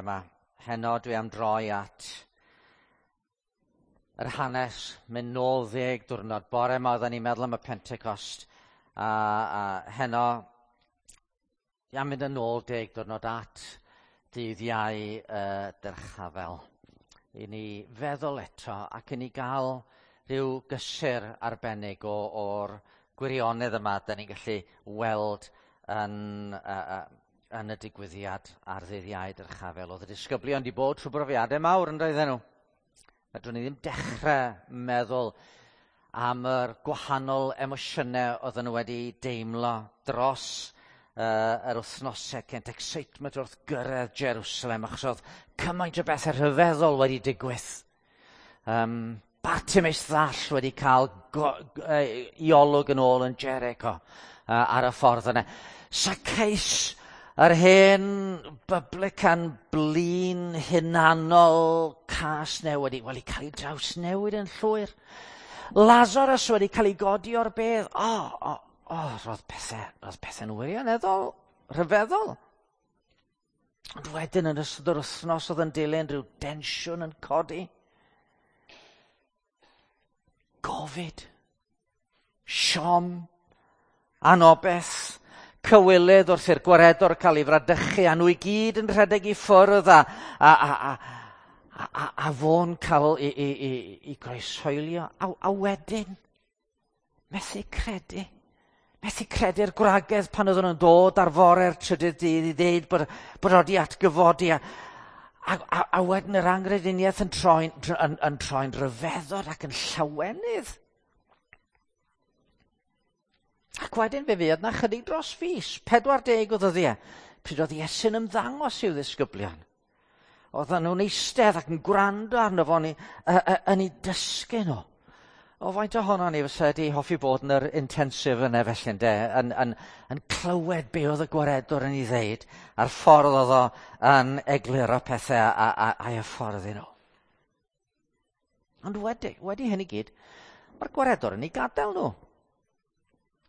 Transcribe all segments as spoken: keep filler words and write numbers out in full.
yma. Heno dwi am droi at yr hanes mynd nôl ddeg diwrnod. Bore yma oedden ni'n meddwl am y Pentecost. A, a heno dwi am mynd yn ôl deg diwrnod at dydd Iau uh, Dyrchafel. I ni feddwl eto ac i ni gael rhyw gysur arbennig o, o'r gwirionedd yma da ni'n gallu weld yn, uh, uh, yn y digwyddiad ar ddydd Iau Dyrchafel. Oedd y disgyblion wedi bod trwy brofiadau mawr yn doedden nhw. Fedrwn ni ddim dechrau meddwl am yr gwahanol emosiynau oedden nhw wedi deimlo dros uh, yr wythnosau cynt, excitement wrth gyrraedd Jerusalem, achos oedd cymaint o bethau rhyfeddol wedi digwydd. Um, Bartimaeus ddall wedi cael go, uh, i olwg yn ôl yn Jericho uh, ar y ffordd yna. Zacchaeus, yr hen publican blin hunanol cas new wedi wedi cael ei drawsnewid yn llwyr. Lazarus wedi cael ei godi o'r bedd. O, o, o, roedd pethau, roedd pethau'n wirioneddol rhyfeddol. Ond wedyn yn ystod yr wythnos oedd yn dilyn rhyw densiwn yn codi. Gofid, siom, anobeth, cywilydd wrth i'r gwaredwr cael ei fradychu a nhw i gyd yn rhedeg i ffwrdd a, a, a, a, a, a, a fo'n cael ei, ei, ei, ei groeshoelio. A, a wedyn, methu credu. Methu credu'r gwragedd pan oedden nhw'n dod ar fore'r trydydd dydd i ddeud bod, bod o 'di atgyfodi. A, a, a, a wedyn yr angrediniaeth yn troi'n yn, yn troi'n rhyfeddod ac yn llawenydd. Ac wedyn fe fuodd na chydig dros fis, pedwar deg o ddyddiau, pryd oedd Iesu'n ymddangos i'w ddisgyblion. Oedden nhw'n eistedd ac yn gwrando arno fo yn yn ei dysgu nhw. O faint ohono ni fysa wedi hoffi bod yn yr intensive yna felly ynde, yn, yn, yn clywed be oedd y gwaredwr yn ei ddeud, a'r ffordd oedd o yn egluro pethau a, a, a'i hyfforddi nhw. Ond wedi, wedi hyn i gyd, mae'r gwaredwr yn ei gadael nhw.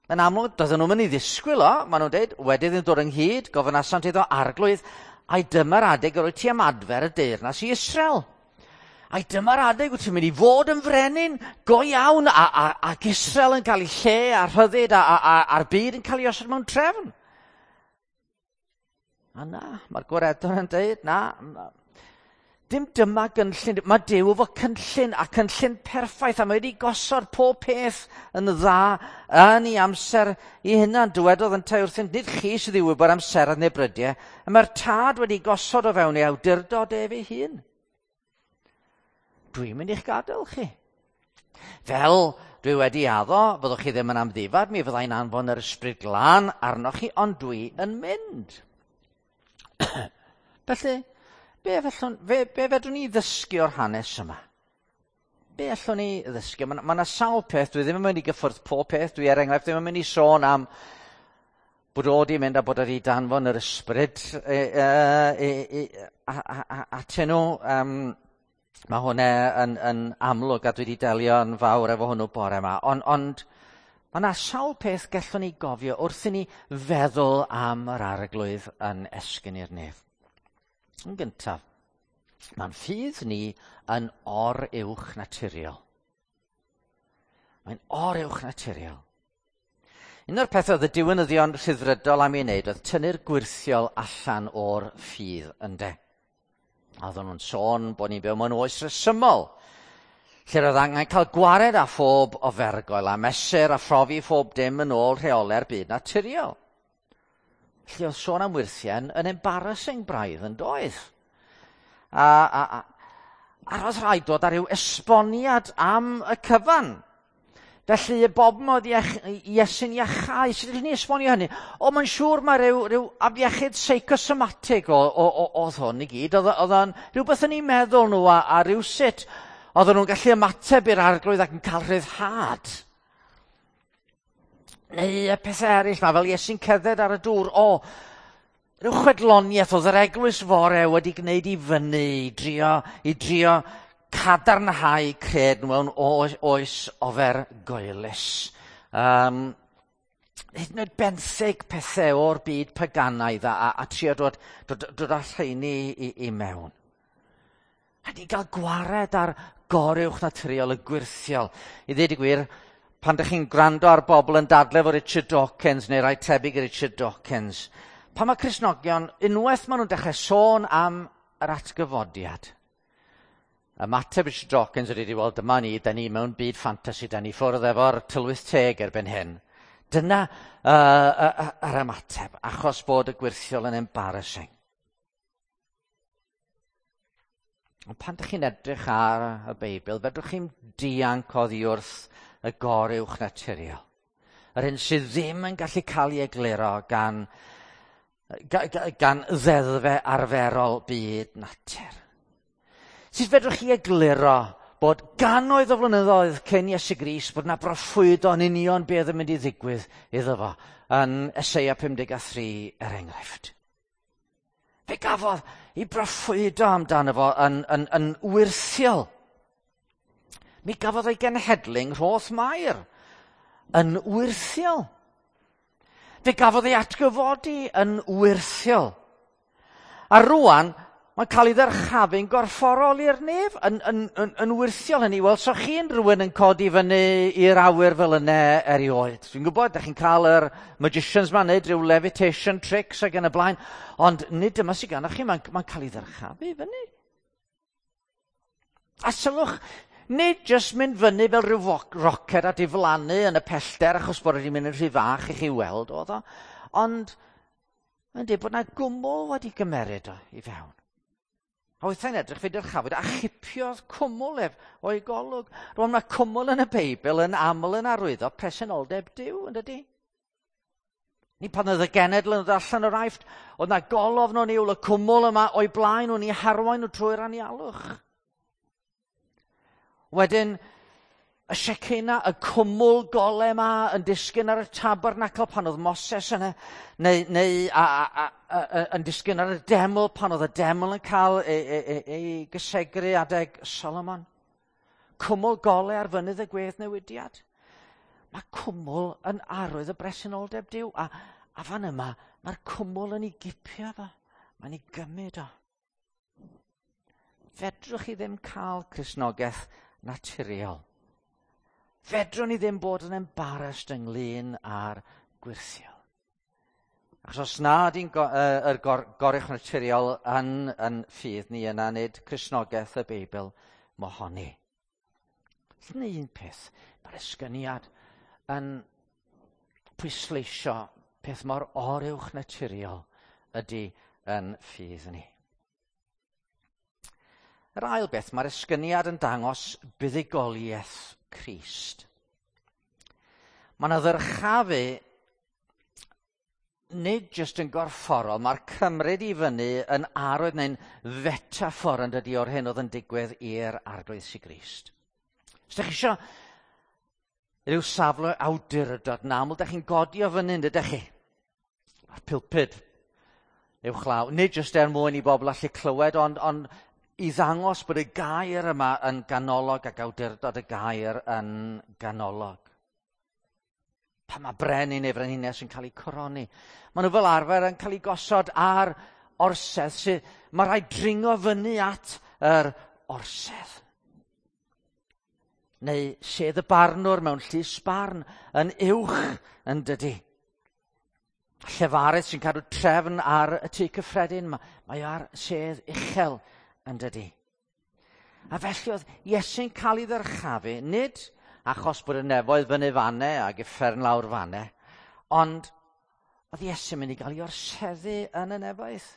Yn amlwg, doedden nhw'n mynd i ddisgwyl o. Maen nhw'n dweud, wedi iddyn dod ynghyd, gofynasant iddo arglwydd, ai dyma'r adeg yr wyt ti am adfer y deyrnas i Israel. Ai dyma'r adeg wyt ti'n mynd i fod yn frenin go iawn, a, a, ac Israel yn cael ei lle a rhyddid, a, a, a, a'r byd yn cael ei osod mewn trefn. A na, mae'r gwaredwr yn dweud, na, dim dyma gynllun, mae Duw efo cynllun a cynllun perffaith a mae wedi gosod pob peth yn dda yn ei amser ei hunan. Dywedodd yntau wrthynt, nid chi sydd i wybod amseroedd neu brydiau, a mae'r tad wedi gosod o fewn ei awdurdod ef ei hun. Dwi'n mynd i'ch gadael chi. Fel dwi wedi addo, fyddwch chi ddim yn amddifad, mi fyddai'n anfon yr ysbryd glân arnoch chi, ond dwi yn mynd. Felly, be, fellwn, fe, be fedrwn ni ddysgu o'r hanes yma? Be allwn ni ddysgu? Mae yna ma sawl peth, dwi ddim yn mynd i gyffwrdd pob peth, dwi er enghraifft ddim yn mynd i sôn am bod o di mynd a bod o di danfon yr ysbryd e, e, e, e, atyn nhw. Um, mae hwnna yn, yn amlwg a dwi wedi delio yn fawr efo hwnnw bore yma. Ond, ond mae yna sawl peth gallwn ni gofio wrth i ni feddwl am yr arglwydd yn esgyn i'r nef. Yn gyntaf, mae'n ffydd ni yn or-uwch naturiol. Mae'n or-uwch naturiol. Un o'r pethau oedd y diwinyddion rhyddfrydol am ei wneud oedd tynnu'r gwyrthiol allan o'r ffydd ynde. A oedden nhw'n sôn bod ni'n byw mewn oes resymol, lle roedd angen cael gwared â phob ofergoel a mesur a phrofi phob dim yn ôl rheolau'r byd naturiol. Felly oedd sôn am wyrthiau yn embarrassing braidd yn doedd. A, a, a, a roedd rhaid dod ar ryw esboniad am y cyfan. Felly y bobl oedd Iesu'n iachau, sut ydyn ni esbonio hynny? O, mae'n siŵr mae rhyw, rhyw afiechyd seicosomatig oedd hwn i gyd. Oedd, oedd o'n rhywbeth yn eu meddwl nhw a, a rhywsut oedden nhw'n gallu ymateb i'r arglwydd ac yn cael rhyddhad. Neu y pethau eraill ma, fel Iesu'n cerdded ar y dŵr. O, rhyw chwedloniaeth oedd yr eglwys fore wedi gwneud i fyny i drio, i drio cadarnhau cred mewn oes, oes ofergoelus. Um, Hyd yn oed benthyg pethau o'r byd paganaidd a, a, a trio dod, dod, dod â rheini i, i mewn. A ni gael gwared ar goruwch naturiol y gwyrthiol. I ddweud y gwir, pan ydych chi'n gwrando ar bobl yn dadle efo Richard Dawkins neu rai tebyg i Richard Dawkins, pan mae Cristnogion, unwaith maen nhw'n dechrau sôn am yr atgyfodiad, ymateb Richard Dawkins ydy, wel, dyma ni, da ni mewn byd ffantasi, da ni ffwrdd efo'r tylwyth teg erbyn hyn. Dyna uh, uh, yr ymateb, achos bod y gwyrthiol yn embarrassing. Ond pan ydych chi'n edrych ar y Beibl, fedrwch chi'n dianc oddi wrth y goruwch naturiol. Yr hyn sydd ddim yn gallu cael ei egluro gan, gan ddeddfau arferol byd natur. Sut fedrwch chi egluro bod gannoedd o flynyddoedd cyn Iesu Grist bod yna broffwydo yn union beth yn mynd i ddigwydd iddo fo yn Eseia pum deg a thri er enghraifft. Fe gafodd ei broffwydo amdano fo yn, yn, yn wyrthiol. Mi gafodd ei genhedlu yng Nghroth Mair yn wyrthiol. Fe gafodd ei atgyfodi yn wyrthiol. A rwan, mae'n cael ei ddyrchafu'n gorfforol i'r nef, yn, yn, yn, yn wyrthiol hynny. Wel, so chi'n rhywun yn codi fyny i'r awyr fel yna erioed. Dwi'n gwybod, da chi'n cael yr magicians ma'n neud rhyw levitation tricks ac yn y blaen, ond nid dyma sydd ganddo chi, mae'n mae cael ei ddyrchafu fyny. A sylwch, nid jyst mynd fyny fel rhyw roced a diflannu yn y pellter achos bod wedi mynd yn rhy fach i chi weld oedd o, ond mae'n dweud bod yna gwmwl wedi gymeryd o i fewn. A weithiau'n edrych fe dyrchafwyd a chipiodd cwmwl ef o'i golwg. Rwan mae cwmwl yn y Beibl yn aml yn arwyddo presenoldeb Duw, yn dydi? Ni pan oedd y genedl yn dod allan o'r Aifft, oedd na golofn o'n niwl y cwmwl yma o'i blaen nhw'n i harwain nhw trwy'r anialwch. Wedyn, y Shekinah, y cwmwl gole yma yn disgyn ar y tabernacl pan oedd Moses yna, neu, neu a, a, a, a, yn disgyn ar y deml pan oedd y deml yn cael ei, ei, ei, ei gysegru adeg Solomon. Cwmwl gole ar fynydd y gwedd newidiad. Mae cwmwl yn arwydd y bresenoldeb Duw, a, a fan yma mae'r cwmwl yn ei gipio fo, mae'n ei gymryd o. Fedrwch chi ddim cael Cristnogaeth naturiol. Fedrwn ni ddim bod yn embarrassed ynglyn â'r gwyrthiol. Achos os na di'n go, uh, yr gor, goruwch naturiol yn, yn ffydd ni yna, nid Cristnogaeth y Beibl mohoni. Dyna un peth, mae'r esgyniad yn pwysleisio peth mor oruwch naturiol ydy yn ffydd ni. Yr ail beth, mae'r esgyniad yn dangos buddugoliaeth Crist. Mae yna ddyrchafu nid jyst yn gorfforol, mae'r cymryd i fyny yn arwydd neu'n fetafor yn dydi o'r hyn oedd yn digwydd i'r Arglwydd Iesu Grist. Os ydych chi eisiau rhyw safle awdurdod, yn aml, ydych chi'n godi o fyny, ydych chi? A'r pulpud uwchlaw, nid jyst er mwyn i bobl allu clywed, ond, ond i ddangos bod y gair yma yn ganolog ac awdurdod y gair yn ganolog. Pan mae brenin neu frenhines yn cael eu coroni, maen nhw fel arfer yn cael eu gosod ar orsedd sydd, mae rhaid dringo fyny at yr orsedd. Neu sedd y barnwr mewn llys barn yn uwch yn dydi. Llefarydd sy'n cadw trefn ar y tŷ cyffredin, mae ar sedd uchel yn dydi. A felly oedd Iesu'n cael ei ddyrchafu, nid achos bod y nefoedd fyny fanne ac uffern lawr fanne, ond oedd Iesu'n mynd i gael ei orseddu yn y nefoedd.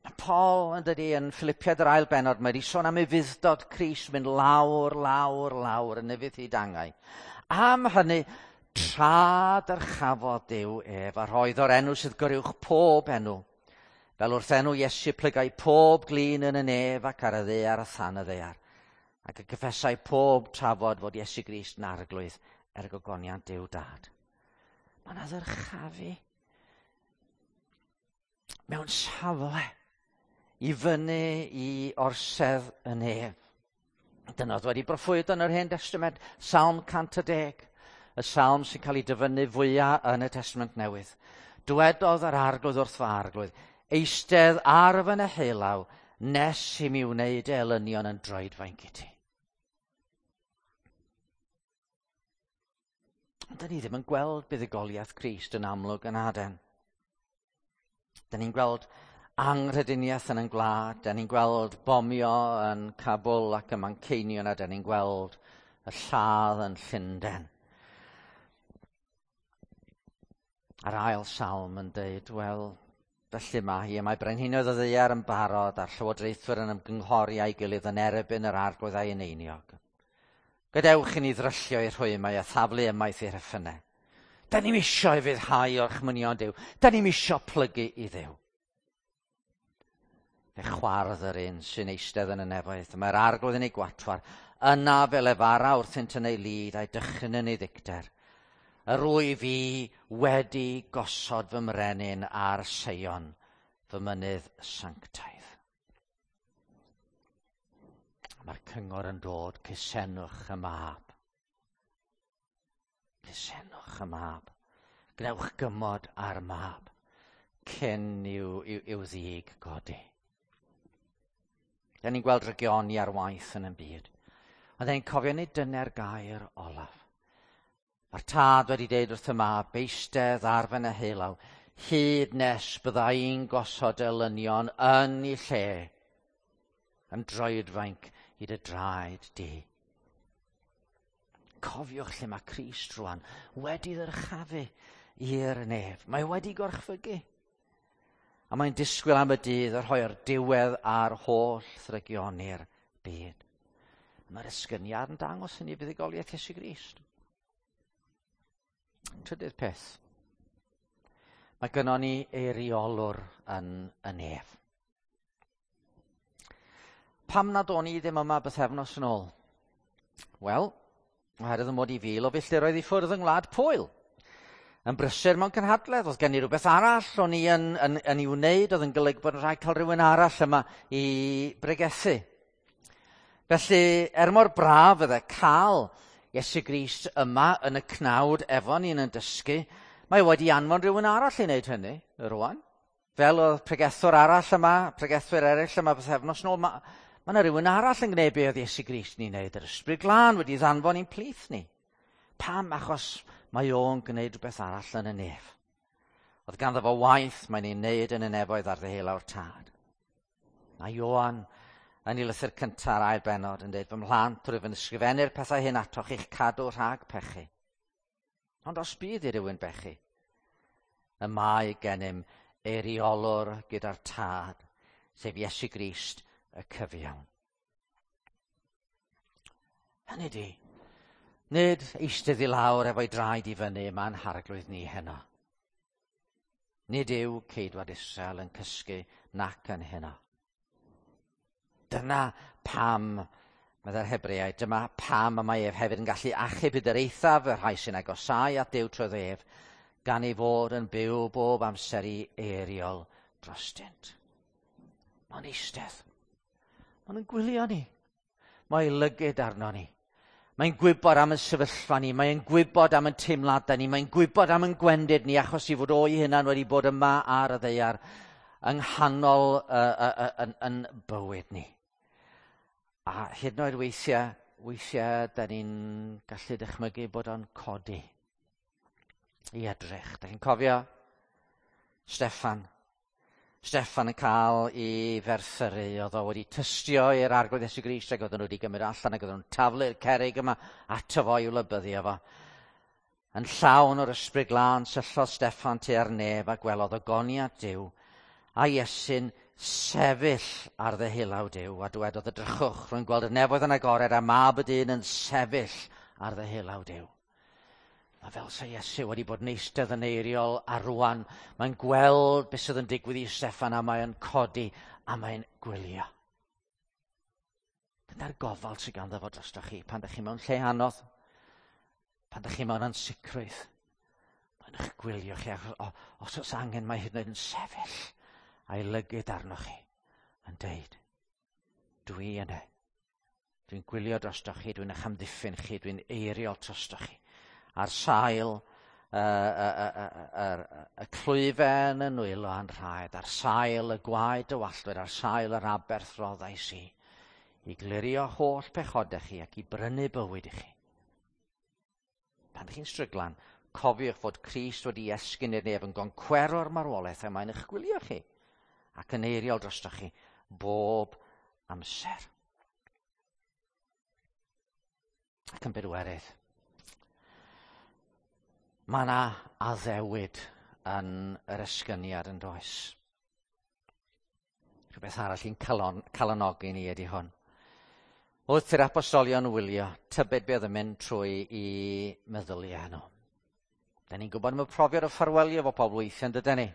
Mae Paul yn dydi yn Philippiaid yr ail bennod, mae wedi sôn am ufudd-dod Crist mynd lawr, lawr, lawr yn ufudd hyd angau. Am hynny, tra dyrchafodd Duw ef a rhoedd o'r enw sydd goruwch pob enw. Fel wrth enw Iesu plygai pob glin yn y nef ac ar y ddaear a than y ddaear. Ac y cyffesai pob trafod fod Iesu Grist yn arglwydd er gogoniant Duw Dad. Mae yna ddyrchafu mewn safle i fyny i orsedd y nef. Dyna oedd wedi broffwydo yn yr Hen Testament, Salm cant a deg. Y salm sy'n cael ei dyfynnu fwyaf yn y Testament Newydd. Dwedodd yr Arglwydd wrth fy Arglwydd, eistedd ar fy neheulaw nes i mi wneud elynion yn droedfainc i ti. Ond da ni ddim yn gweld buddugoliaeth Crist yn amlwg yn aden. Da ni'n gweld anghrediniaeth yn ein gwlad, da ni'n gweld bomio yn Kabul ac ym Manceinion, a da ni'n gweld y lladd yn Llundain. A'r ail salm yn deud, wel, felly mae hi, mae brenhinoedd y ddaear yn barod a'r llywodraethwyr yn ymgynghori a'i gilydd yn erbyn yr Arglwydd a'i eneiniog. Gadewch i ni ddryllio i'r rhwymau a thaflu ymaith i'r rheffynau. Da ni'm isio i fyddhau o'r chmynion Duw. Da ni'm isio plygu i Dduw. Fe chwardd yr un sy'n eistedd yn y nefoedd. Mae'r Arglwydd yn ei gwatwar. Yna fe lefara wrthynt yn ei lid a'i dychryn yn ei ddicter. Yr wyf fi wedi gosod fy mrenin ar Seion, fy mynydd sanctaidd. Mae'r cyngor yn dod, cusenwch y mab. Cusenwch y mab. Gwnewch gymod â'r mab cyn i'w, i'w, i'w ddig godi. Da ni'n gweld rygioni ar waith yn y byd. Ond da ni'n cofio nid dyna'r gair olaf. Mae'r tad wedi deud wrth y mab, eistedd ar fy neheulaw, hyd nes bydda i'n gosod elynion yn ei lle, yn droedfainc i dy draed di. Cofiwch lle mae Crist rwan wedi ddyrchafu i'r nef. Mae wedi gorchfygu. A mae'n disgwyl am y dydd y rhoi'r diwedd ar holl ddrygioni'r byd. Mae'r esgyniad yn dangos i ni fuddugoliaeth Iesu Grist. Trydydd peth. Mae gynnon ni eiriolwr yn y nef. Pam nad o'n i ddim yma bythefnos yn ôl? Wel, oherwydd y mod i fil o filltiroedd i ffwrdd yng Ngwlad Pwyl. Yn brysur mewn cynhadledd, oedd gen i rhywbeth arall o'n i yn, yn, yn ei wneud, oedd yn golygu bod yn rhaid cael rhywun arall yma i bregethu. Felly, er mor braf fydde cael Iesu Grist yma yn y cnawd efo ni yn dysgu, mae wedi anfon rhywun arall i wneud hynny, rwan. Fel oedd pregethwr arall yma, pregethwyr eraill yma bythefnos nôl, mae ma yna rhywun arall yn gwneud be oedd Iesu Grist ni'n wneud. Yr Ysbryd Glân wedi ddanfon i'n plith ni. Pam? Achos mae o'n gwneud rhywbeth arall yn y nef. Oedd ganddo fo waith mae'n ei wneud yn y nefoedd ar ddeheulaw'r tad. Mae Ioan yn ei lythyr cyntaf a'r ail bennod yn dweud, fy mhlant, rwyf yn ysgrifennu'r pethau hyn atoch i'ch cadw rhag pechu. Ond os bydd i rywun bechu, y mae gennym eiriolwr gyda'r tad, sef Iesu Grist y cyfiawn. Hynny di, nid eistedd i lawr efo'i draed i fyny mae'n harglwydd ni heno. Nid yw ceidwad Israel yn cysgu nac yn heno. Dyna pam, meddai'r Hebreaid, dyma pam y mae ef hefyd yn gallu achub hyd yr eithaf y rhai sy'n agosáu at Duw trwy ef, gan ei fod yn byw bob amser i eiriol drostynt. Mae'n eistedd. Mae'n gwylio ni. Mae lygid arno ni. Mae'n gwybod am y sefyllfa ni, mae'n gwybod am y teimladau ni, mae'n gwybod am yn gwendid ni, achos i fod o'i hunan wedi bod yma ar y ddaear yng nghanol uh, uh, uh, yn, yn bywyd ni. A hyd yn oed weithiau, weithiau, da ni'n gallu dychmygu bod o'n codi i edrych. Da chi'n cofio Steffan? Steffan yn cael ei ferthyru, oedd o wedi tystio i'r Arglwydd Iesu Grist ac oedden nhw wedi gymryd allan ac oedden nhw'n taflu'r cerrig yma ato fo i'w lybyddu efo. Yn llawn o'r Ysbryd Glân, syllodd Steffan tua'r nef a gwelodd ogoniad Duw a Iesu'n sefyll ar ddeheulaw Duw a dywedodd, edrychwch, rwy'n gweld y nefoedd yn agored a mab y dyn yn sefyll ar ddeheulaw Duw. Mae fel sa Iesu wedi bod yn eistedd yn eiriol a rwan mae'n gweld beth sydd yn digwydd i Steffan a mae'n codi a mae'n gwylio. Dyna'r gofal sydd ganddo fo drostoch chi pan ydych chi mewn lle anodd, pan ydych chi mewn ansicrwydd. Mae'n eich gwylio chi, os oes angen mae hyd yn oed yn sefyll a'i lygid arnoch chi yn deud, dwi yna. Dwi'n gwylio drostoch chi, dwi'n eich amddiffyn chi, dwi'n eiriol drostoch chi. Ar sail y, y, y, y, y, y clwyfen yn nwylo a'n rhaed, ar sail y gwaed dywalltwyd, ar sail yr aberth roddais i, i glirio holl pechodau chi ac i brynu bywyd i chi. Pan ydych chi'n stryglan, cofiwch fod Crist wedi esgyn i'r nef yn goncwero'r marwolaeth a mae'n eich gwylio chi ac yn eiriol drostoch chi bob amser. Ac yn bedwerydd, mae yna addewid yn yr esgyniad yn does. Rhywbeth arall i'n calon, calonogi ni ydy hwn. Wrth i'r apostolion wylio, tybed be oedd yn mynd trwy i meddyliau nhw. Da ni'n gwybod am y profiad o ffarwelio efo pobl weithiau, yn dydyn ni?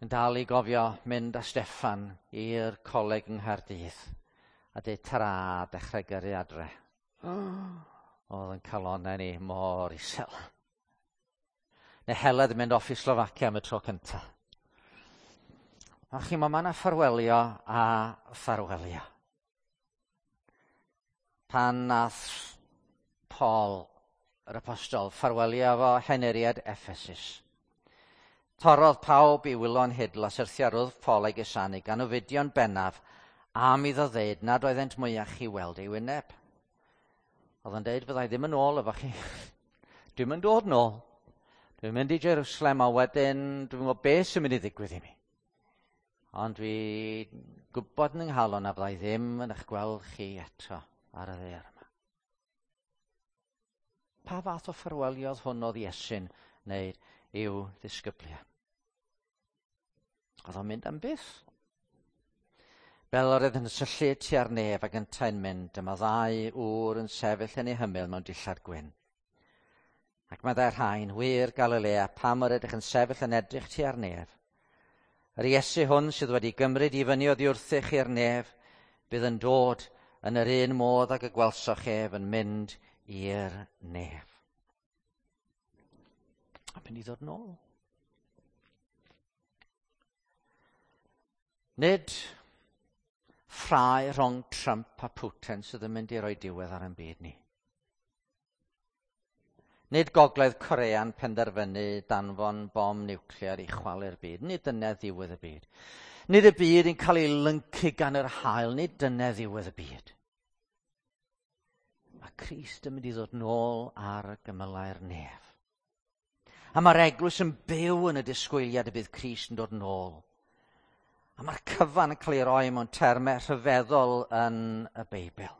Yn dal i gofio mynd â Steffan i'r coleg yng Nghaerdydd a dweud tara, dechrau gyrru adre. Oedd yn calonau ni mor isel. Neu Heledd yn mynd off i Slofacia am y tro cyntaf. A chi, mae yna ffarwelio a ffarwelio. Pan nath Paul, yr apostol, ffarwelio efo henuriad Ephesus. Torrodd pawb i wylo'n hidl a syrthio Paul a'i gusanu gan ofidio'n bennaf am iddo ddeud nad oeddent mwyach i weld ei wyneb. Oedd yn deud fyddai ddim yn ôl efo chi. Dwi'm yn dod nôl. Dwi'n mynd i Jerusalem a wedyn dwi'n gwybod beth sy'n mynd i ddigwydd i mi. Ond dwi'n gwybod yn 'y nghalon na fyddai ddim yn eich gweld chi eto ar y ddaear yma. Pa fath o ffarweliodd hwn oedd Iesu'n wneud i'w ddisgyblion? Oedd o'n mynd am byth? Fel yr oedd yn syllu tua'r nef ac yntau'n mynd, dyma ddau ŵr yn sefyll yn ei hymyl mewn dillad gwyn. Ac meddai'r rhain, "Wŷr Galilea, pam yr ydych yn sefyll yn edrych tua'r nef? Yr Iesu hwn sydd wedi gymryd i fyny oddi wrthych i'r nef, bydd yn dod yn yr un modd ag y gwelsoch ef yn mynd i'r nef." A mynd i ddod nôl. Nid ffrae rhwng Trump a Putin sydd yn mynd i roi diwedd ar ein byd ni. Nid Gogledd Corea'n penderfynu danfon bom niwclear i chwalu'r byd. Nid dyna ddiwedd y byd. Nid y byd yn cael ei lyncu gan yr haul. Nid dyna ddiwedd y byd. Mae Crist yn mynd i ddod nôl ar gymylau'r nef. A mae'r eglwys yn byw yn y disgwyliad y bydd Crist yn dod nôl. A mae'r cyfan yn cael ei roi mewn termau rhyfeddol yn y Beibl.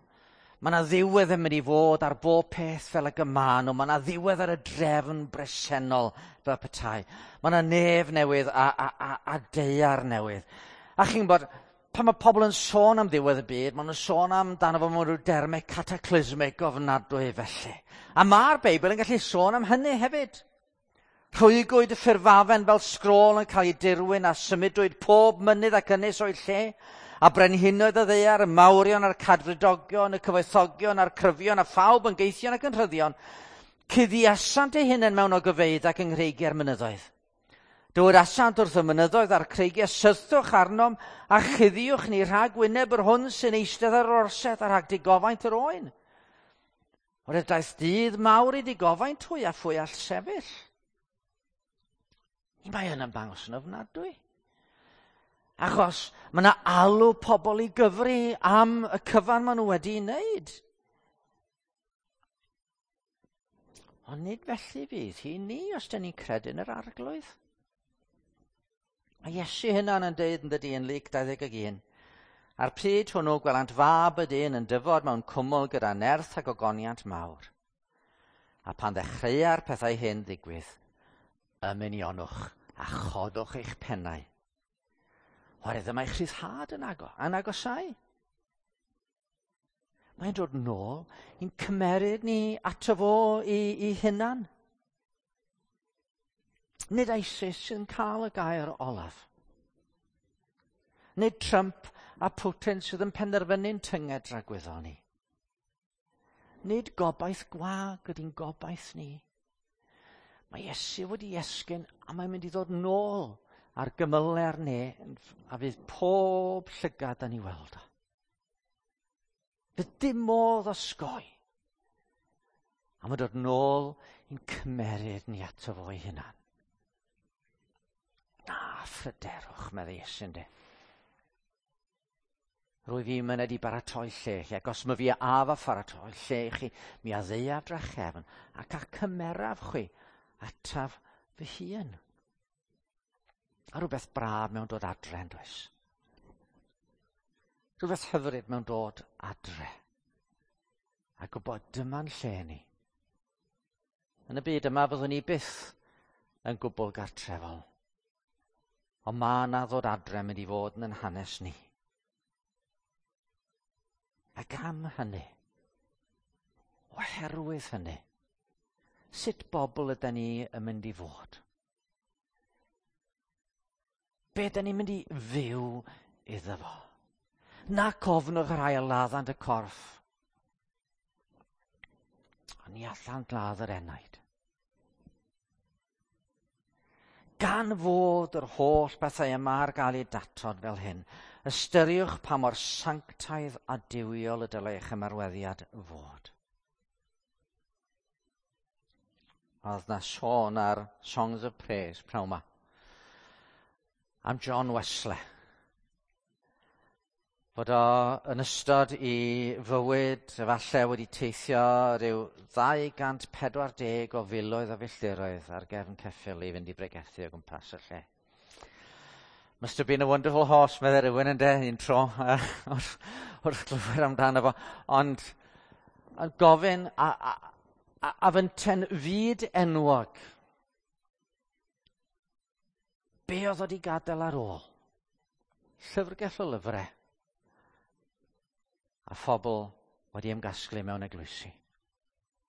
Mae yna ddiwedd yn mynd i fod ar bob peth fel y maen nhw. Mae yna ddiwedd ar y drefn bresennol fel petai. Mae yna nef newydd a, a, a, a daear newydd. A chi'n gwybod, pan mae pobl yn sôn am ddiwedd y byd, maen nhw'n sôn amdano fo mewn rhyw dermau cataclysmig ofnadwy felly. A mae'r Beibl yn gallu sôn am hynny hefyd. Rhwygwyd y ffurfafen fel sgrôl yn cael ei dirwyn a symudwyd pob mynydd ac ynys o'i lle, a brenhinoedd y ddaear, y mawrion a'r cadfridogion, y cyfoethogion a'r cryfion, a phawb yn geithion ac yn rhyddion, cuddiasant eu hunain mewn ogofeydd ac yng nghreigiau'r mynyddoedd. Dywedasant wrth y mynyddoedd a'r creigiau, "Syrthwch arnom a chuddiwch ni rhag wyneb yr hwn sy'n eistedd ar yr orsedd a rhag digofaint yr oen. Oherwydd daeth dydd mawr eu digofaint hwy a phwy all sefyll?" Mae yn ymddangos yn ofnadwy. Achos mae yna alw pobl i gyfri am y cyfan maen nhw wedi wneud. Ond nid felly fydd hi ni os dyn ni'n credu yn yr Arglwydd. Mae Iesu hunan yn deud yn dydy yn Luc dau ddeg un. A'r pryd hwnnw gwelant fab y dyn yn dyfod mewn cwmwl gyda nerth ac ogoniant mawr. A pan ddechreua'r pethau hyn ddigwydd, ymunionwch a chodwch eich pennau. Oherwydd yma eich rhyddhad yn ago, yn agosau. Mae'n dod nôl i'n cymeryd ni ato fo i, i hunan. Nid ISIS sy'n cael y gair olaf. Nid Trump a Putin sydd yn penderfynu'n tynged dragwyddol ni. Nid gobaith gwag ydy'n gobaith ni. Mae Iesu wedi esgyn a mae'n mynd i ddod nôl ar gymylau'r ne a fydd pob llygad yn ei weld o. Fydd dim modd osgoi. A mae'n dod nôl i'n cymeryd ni ato fo ei hunan. Na, phryderwch, meddai Iesu, ynddi. Rwy fi myned i baratoi lle chi, ac os mae fi af a pharatoi lle chi, mi a ddeuaf drachefn ac a cymeraf chwi ataf fy hun. A rhywbeth braf mewn dod adre, yn does? Rhywbeth hyfryd mewn dod adre. A gwybod dyma'n lle ni. Yn y byd yma fyddwn ni byth yn gwbl gartrefol. Ond mae yna ddod adre mynd i fod yn hanes ni. Ac am hynny, oherwydd hynny, sut bobl ydy ni yn mynd i fod? Be ydy ni'n mynd i fyw iddo fo? Na cofnwch rhai a laddant y corff, ond ni allan gladd yr enaid. Gan fod yr holl bethau yma ar gael eu datod fel hyn, ystyriwch pa mor sanctaidd a duwiol y dylai eich ymarweddiad fod. Oedd na sôn ar Songs of Praise pnawn 'ma am John Wesley. Fod o yn ystod i fywyd efallai wedi teithio rhyw ddau gant pedwar deg o filoedd o filltiroedd ar gefn ceffyl i fynd i bregethu o gwmpas y lle. Must have been a wonderful horse, meddai rhywun yn de, un tro, wrth, wrth glywed amdano fo. Ond, ond gofyn a, a, a, a fynten fyd enwog. Be oedd o wedi gadael ar ôl? Llyfrgell o lyfrau. A phobl wedi ymgasglu mewn eglwysi.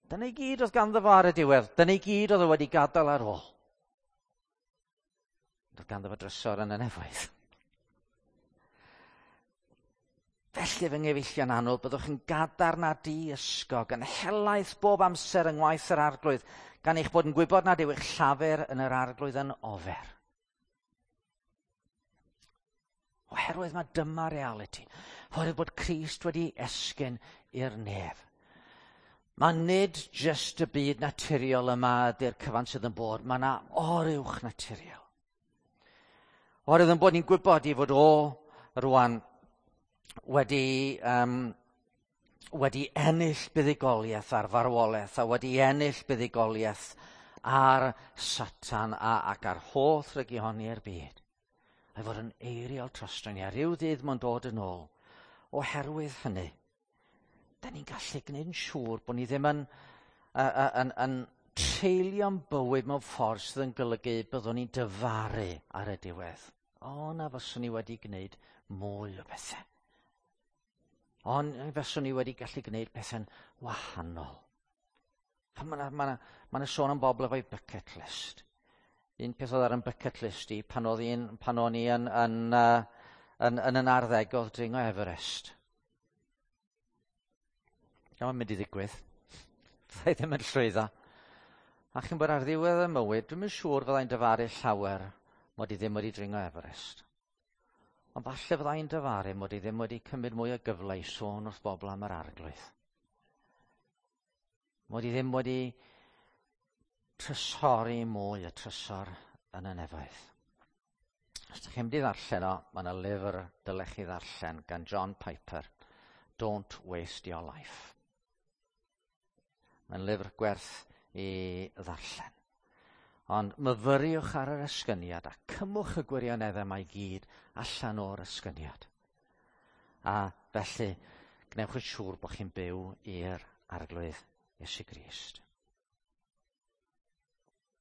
Dyna i gyd oedd ganddo fo ar y diwedd. Dyna i gyd oedd o wedi gadael ar ôl. Oedd ganddo fo drysor yn y nefoedd. Felly fy nghyfeillion annwyl, byddwch yn gadarn a diysgog, yn helaeth bob amser yng ngwaith yr Arglwydd, gan eich bod yn gwybod nad yw eich llafur yn yr Arglwydd yn ofer. Oherwydd mae dyma realiti. Oherwydd bod Crist wedi esgyn i'r nef. Mae nid jyst y byd naturiol yma ydy'r cyfan sydd yn bod, mae yna oruwch naturiol. Oherwydd yn bod ni'n gwybod i fod o rwan wedi, um, wedi ennill buddugoliaeth ar farwolaeth a wedi ennill buddugoliaeth ar Satan a, ac ar holl rygihoni'r byd. A'i fod yn eiriol drosto ni a rhyw ddydd mae'n dod yn ôl. Oherwydd hynny, da ni'n gallu gwneud yn siŵr bod ni ddim yn, uh, yn, yn treulio'n bywyd mewn ffordd sydd yn golygu byddwn ni'n dyfaru ar y diwedd. O, na fyswn ni wedi gwneud mwy o bethau. Ond fyswn ni wedi gallu gwneud pethau'n wahanol. Mae yna ma ma sôn am bobl efo'i bucket list. Un peth oedd ar yn bucket list i pan oedd un, pan o'n i yn, yn, uh, yn, yn, yn arddeg oedd dringo Everest. Mae'n mynd i ddigwydd. Fyddai ddim yn llwyddo. A chi'n bod ar ddiwedd y mywyd, dwi'm yn siŵr fyddai'n dyfaru llawer mod i ddim wedi dringo Everest. Ond falle fyddai'n dyfaru mod i ddim wedi cymryd mwy o gyfle i sôn wrth bobl am yr Arglwydd. Mod i ddim wedi trysori mwy y trysor yn y nefoedd. Os ydych chi'n mynd i ddarllen o, mae yna lyfr dylech chi ddarllen gan John Piper, Don't Waste Your Life. Mae'n lyfr gwerth i ddarllen. Ond myfyriwch ar yr esgyniad a cymwch y gwirioneddau yma i gyd allan o'r esgyniad. A felly, gwnewch yn siŵr bod chi'n byw i'r Arglwydd Iesu Grist.